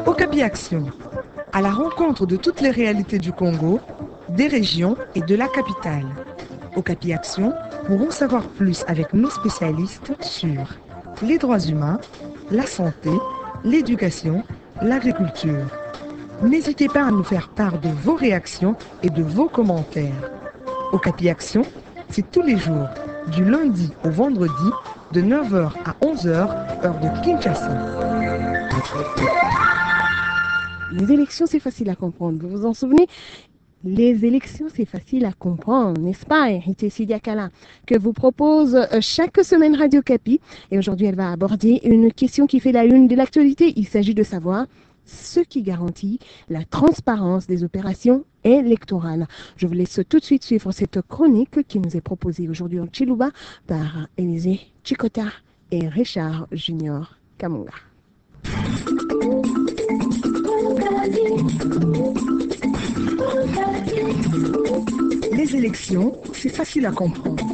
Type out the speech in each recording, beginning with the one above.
Okapi Action, à la rencontre de toutes les réalités du Congo, des régions et de la capitale. Okapi Action pour en savoir plus avec nos spécialistes sur les droits humains, la santé, l'éducation, l'agriculture. N'hésitez pas à nous faire part de vos réactions et de vos commentaires. Okapi Action, c'est tous les jours, du lundi au vendredi, de 9h à 11h, heure de Kinshasa. Les élections, c'est facile à comprendre. Vous vous en souvenez? Les élections, c'est facile à comprendre, n'est-ce pas, Héritier Sidiakala, que vous propose chaque semaine Radio Okapi. Et aujourd'hui, elle va aborder une question qui fait la une de l'actualité. Il s'agit de savoir ce qui garantit la transparence des opérations électorales. Je vous laisse tout de suite suivre cette chronique qui nous est proposée aujourd'hui en Tshiluba par Élisée Chikota et Richard Junior Kamunga. Les élections, c'est facile à comprendre.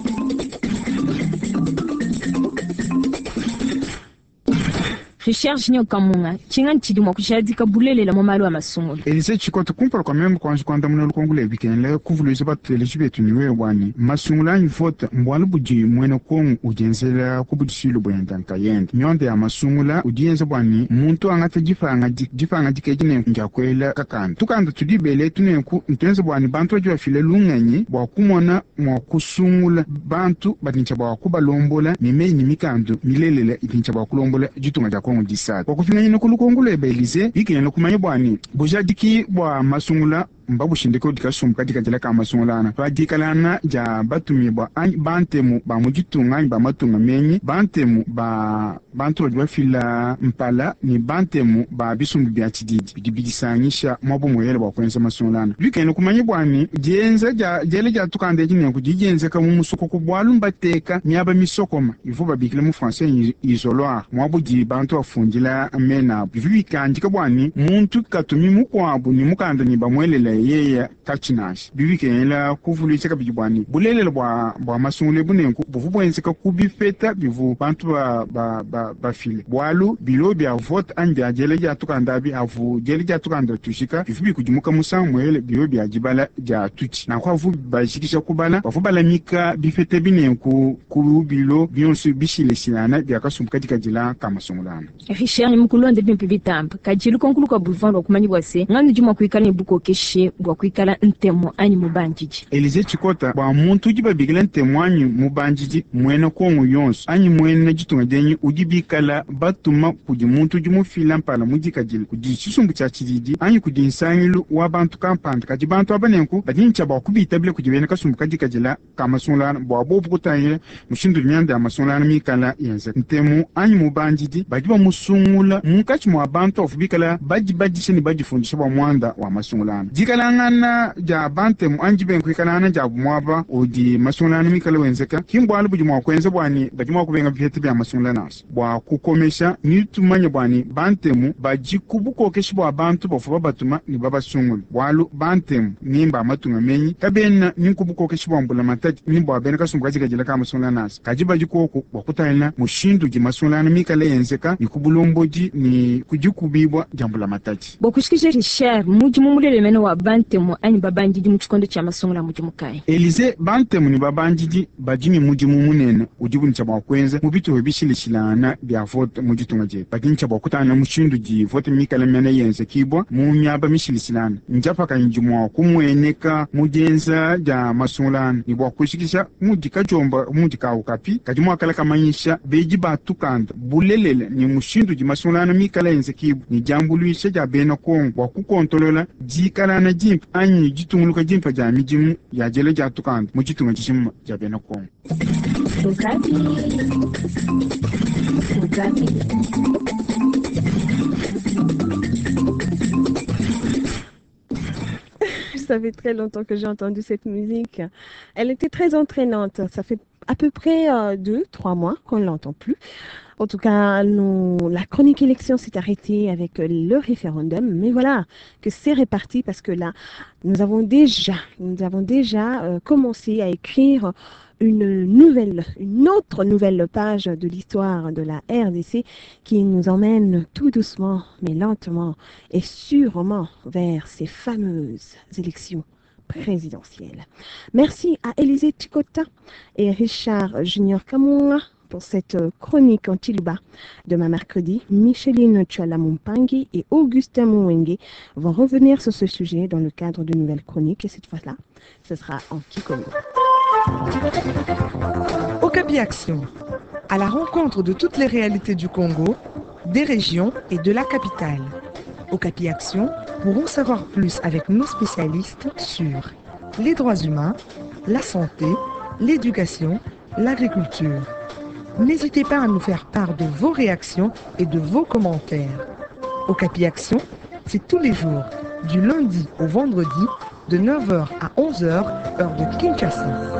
Richard Junior Kamunga, tshinga ntshidi mua kujadika bulelela mu malu a masungula. Elise Tshikota, kumpala kua meme kuanji kuandamuna lukonko lua bikengela kuvuluija bateleji betu ne wewe bua ne, masungula anyi vote mbualu budi muena Kongo udienzela ku budisuile buende nkayende. Mionda ya masungula udi yenza bua ne, muntu angate dipangadika edi nenku ndia kuela kakanda. Tukanda tudi bele etu nenku ntuenza bua ne, bantu badi bafila lungenyi bua kumona mua kusungula bantu badi ne tshia bua kubalombola ne meyi ne mikandu milelela idi ne tshia bua kulombola ditunga dia Kongo disatu. Bua kupinganyina ku lukonko luebe Elise, bikengela kumanya bua ne, bujadiki bua masungula mbabushindike kudi kasumbu kadi kadila ka masungula ana pa dikalangana dia batumibua anyi bantemu ba mu ditunga anyi ba matunga menyi, bantemu ba bantu badi bafila mpala ne bantemu ba bisumbu bia tshididi bidi bidisangisha muaba umuele bua kuenza masungula ana. Bikengela kumanya bua ne, dienza dia diela dia tukanda edi nenku didi dienzeka mu musokoko bualu mbateka miaba misokoma ivuabu babikila mu français ne isoloir, muaba udi bantu bafundila mena abu. Bivua bikandika bua ne, muntu katumi mukuabu ne mukanda ne bamuelela yeya katshi nansha. Bivua bikengela kuvuluija kabidi bua ne, bulelela bua bua masungula ebu nenku buvua buenzeka ku bipeta bivua bantu ba, ba, ba, bafile, bualu bilo bia vote anyi bia diela dia tukanda abi avu diela dia tukanda tujika bivua bikudimuka musangu muele bilo bia dibala dia tutshi. Nanku avu bajikija kubala, bavua balamika bipeta ebi nenku ku bilo bionso bishilashilangana bia kasumbu kadikadila ka masungula ana. Richard mukulonde bimpe bitamba. Kadi lukonko lukuabu luvua lua kumanya bua se, nganyi udi mua kuikala ne bukokeshi bua kuikala ntemu anyi mubandidi? Elysee Tshikota, Bua muntu udi babikila ntemu anyi mubandidi, muena Kongo yonso anyi muena ditunga dienyi udi bikala batuma kudi muntu udi mufila mpala mudikadile kudi tshisumbu tshia tshididi anyi kudi nsangilu wa bantu kampanda. Kadi bantu aba nenku badi ne tshia bua kubitabila kudi bena kasumbu kadikadila ka masungulangana bua bobu kutangila mushindu udi mianda ya masungulangana mikala yenzeka. Ntemu anyi mubandidi badi bamusungula munkatshi mua bantu bavua bikala badibadisha ne badifundisha bua muanda wa masungulangana. Dikalangana dia bantemu anyi dibenga kuikalangana diabu muaba udi masungulangana mikala wenzeka ki mbualu budi mua kuenza bua ne badi mua kubenga bipeta bia masungula nansha. Bua kukomesha, ne tumanye bua ne Bantemu badi ku bukokeshi bua bantu bavua babatuma ne babasungule, bualu Bantemu ni mba matunga menyi kabena ni nku bukokeshi bua mbulamatadi ni bua bena kasumbu kadikadila ka masungula nansha, kadi badi kuoku bua kutangila mushindu udi masungulangana mikale enzeka ni ku bulombodi ni ku dikubibua dia mbulamatadi. Bua kushikija Richard, mudimu mulelela mene wa Bantemu anyi babandidi mu tshikondo tshia masungula mmudimu kayi? Elysee, Bantemu ne babandidi badi ne mudimu munene udibu ne tshia bua kuenza mu bitupa bishilashilangane bia vote mu ditunga dietu. Badi ne tshia bua kutangila mushindu udi vote mikale mene yenzekibua mu miaba mishilashilangane. Ndiapakanyi didi mua kumueneka mu dienza dia masungula ne bua kujikija mudi kadiomba mudi ka Okapi kadi mua kala kamanyisha bedi ba tukanda bulelela ne mushindu udi masungulangana mikale enzekibua ne diambuluisha dia bena Kongo bua kukontolola dikalangana dimpe anyi ditunguluka dimpe dia midimu ya diela dia tukanda mu ditunga dijima dia bena Kongo. Okapi. Okapi. Ça fait très longtemps que j'ai entendu cette musique. Elle était très entraînante. Ça fait à peu près 2, 3 mois qu'on ne l'entend plus. En tout cas, nous, la chronique élection s'est arrêtée avec le référendum, mais voilà que c'est réparti parce que là, nous avons déjà commencé à écrire une nouvelle, une autre nouvelle page de l'histoire de la RDC qui nous emmène tout doucement, mais lentement et sûrement vers ces fameuses élections présidentielles. Merci à Élisée Chikota et Richard Junior Kamunga pour cette chronique en Tshiluba. Demain mercredi, Micheline Tchouala-Mumpangi et Augustin Mouengue vont revenir sur ce sujet dans le cadre de nouvelles chroniques et cette fois-là, ce sera en Kikongo. Okapi Action, à la rencontre de toutes les réalités du Congo, des régions et de la capitale. Okapi Action pour en savoir plus avec nos spécialistes sur les droits humains, la santé, l'éducation, l'agriculture. N'hésitez pas à nous faire part de vos réactions et de vos commentaires. Okapi Action, c'est tous les jours, du lundi au vendredi, de 9h à 11h, heure de Kinshasa.